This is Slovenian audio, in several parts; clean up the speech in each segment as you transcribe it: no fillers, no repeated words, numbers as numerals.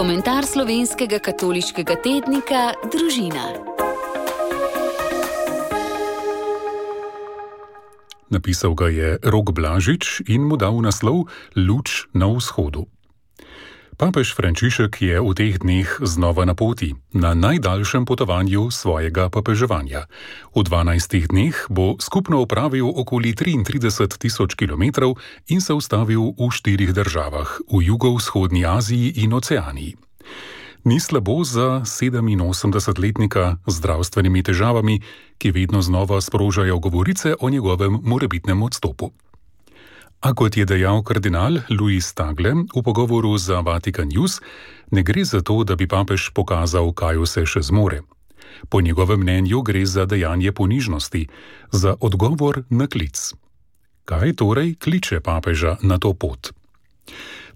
Komentar slovenskega katoliškega tednika Družina. Napisal ga je Rok Blažič in mu dal naslov Luč na vzhodu. Papež Frančišek je v teh dneh znova na poti, na najdaljšem potovanju svojega papeževanja. V 12 dneh bo skupno opravil okoli 33.000 kilometrov in se ustavil v 4 državah, v jugovzhodni Aziji in Oceaniji. Ni slabo za 87-letnika z zdravstvenimi težavami, ki vedno znova sprožajo govorice o njegovem morebitnem odstopu. A kot je dejal kardinal Luis Tagle v pogovoru za Vatikan News, ne gre za to, da bi papež pokazal, kaj vse še zmore. Po njegovem mnenju gre za dejanje ponižnosti, za odgovor na klic. Kaj torej kliče papeža na to pot?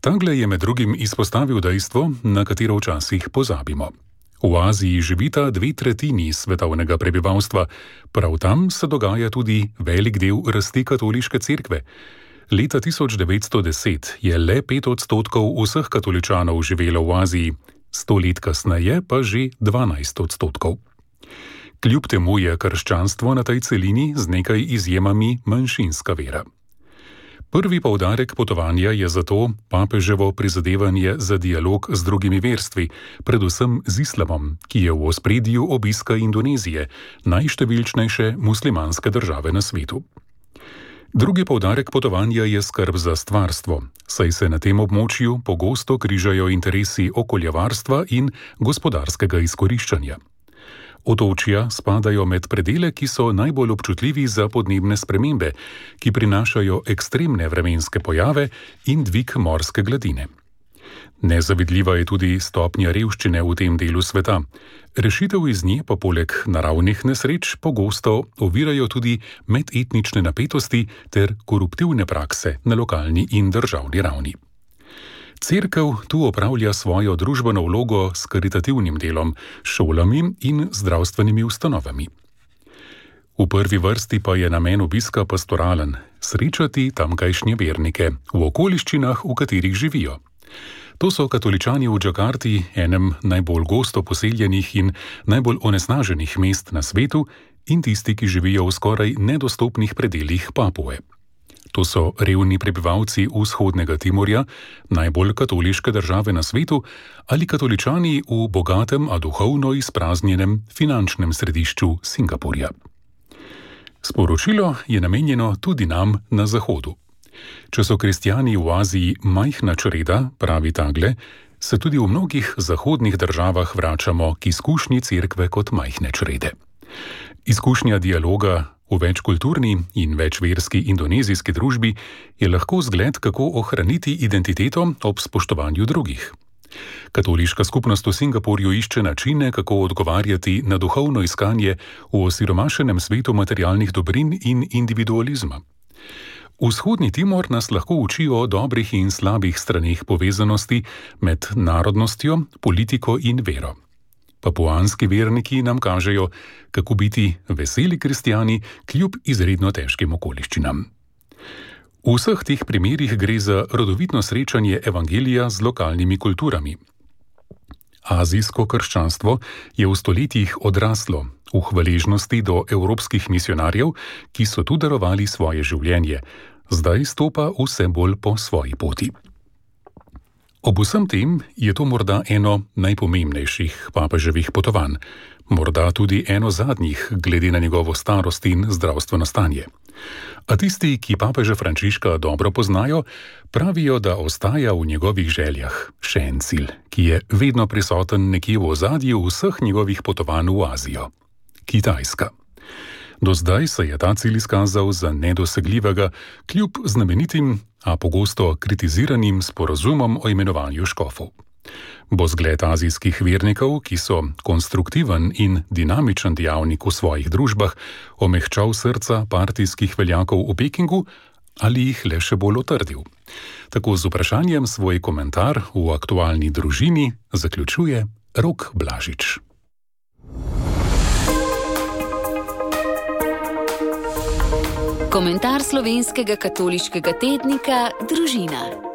Tagle je med drugim izpostavil dejstvo, na katero včasih pozabimo. V Aziji živita 2/3 svetovnega prebivalstva, prav tam se dogaja tudi velik del rasti katoliške cerkve. Leta 1910 je le 5% vseh katoličanov živelo v Aziji, 100 let kasneje pa že 12%. Kljub temu je krščanstvo na tej celini z nekaj izjemami manjšinska vera. Prvi poudarek potovanja je zato papeževo prizadevanje za dialog z drugimi verstvi, predvsem z islamom, ki je v ospredju obiska Indonezije, najštevilčnejše muslimanske države na svetu. Drugi poudarek potovanja je skrb za stvarstvo, saj se na tem območju pogosto križajo interesi okoljevarstva in gospodarskega izkoriščanja. Otočja spadajo med predele, ki so najbolj občutljivi za podnebne spremembe, ki prinašajo ekstremne vremenske pojave in dvig morske gladine. Nezavidljiva je tudi stopnja revščine v tem delu sveta. Rešitev iz nje pa poleg naravnih nesreč pogosto ovirajo tudi medetnične napetosti ter koruptivne prakse na lokalni in državni ravni. Cerkev tu opravlja svojo družbeno vlogo s karitativnim delom, šolami in zdravstvenimi ustanovami. V prvi vrsti pa je namen obiska pastoralen, srečati tamkajšnje vernike v okoliščinah, v katerih živijo. To so katoličani v Džakarti, enem najbolj gosto poseljenih in najbolj onesnaženih mest na svetu, in tisti, ki živijo v skoraj nedostopnih predelih Papue. To so revni prebivalci vzhodnega Timorja, najbolj katoliške države na svetu, ali katoličani v bogatem, a duhovno izpraznjenem finančnem središču Singapurja. Sporočilo je namenjeno tudi nam na Zahodu. Če so kristjani v Aziji majhna čreda, pravi Tagle, se tudi v mnogih zahodnih državah vračamo k izkušnji cerkve kot majhne črede. Izkušnja dialoga v večkulturni in večverski indonezijski družbi je lahko zgled, kako ohraniti identiteto ob spoštovanju drugih. Katoliška skupnost v Singapurju išče načine, kako odgovarjati na duhovno iskanje v osiromašenem svetu materialnih dobrin in individualizma. Vzhodni Timor nas lahko uči o dobrih in slabih straneh povezanosti med narodnostjo, politiko in vero. Papuanski verniki nam kažejo, kako biti veseli kristjani kljub izredno težkim okoliščinam. V vseh teh primerih gre za rodovitno srečanje evangelija z lokalnimi kulturami. Azijsko krščanstvo je v stoletjih odraslo v hvaležnosti do evropskih misionarjev, ki so tu darovali svoje življenje, zdaj stopa vse bolj po svoji poti. Ob vsem tem je to morda eno najpomembnejših papeževih potovanj, morda tudi eno zadnjih glede na njegovo starost in zdravstveno stanje. A tisti, ki papeža Frančiška dobro poznajo, pravijo, da ostaja v njegovih željah še en cilj, ki je vedno prisoten nekje v ozadju vseh njegovih potovanj v Azijo – Kitajska. Do zdaj se je ta cilj izkazal za nedosegljivega, kljub znamenitim, a pogosto kritiziranim sporazumom o imenovanju škofov. Bo zgled azijskih vernikov, ki so konstruktiven in dinamičen dejavnik v svojih družbah, omehčal srca partijskih veljakov v Pekingu ali jih le še bolj otrdil? Tako z vprašanjem svoj komentar v aktualni družini zaključuje Rok Blažič. Komentar slovenskega katoliškega tednika Družina.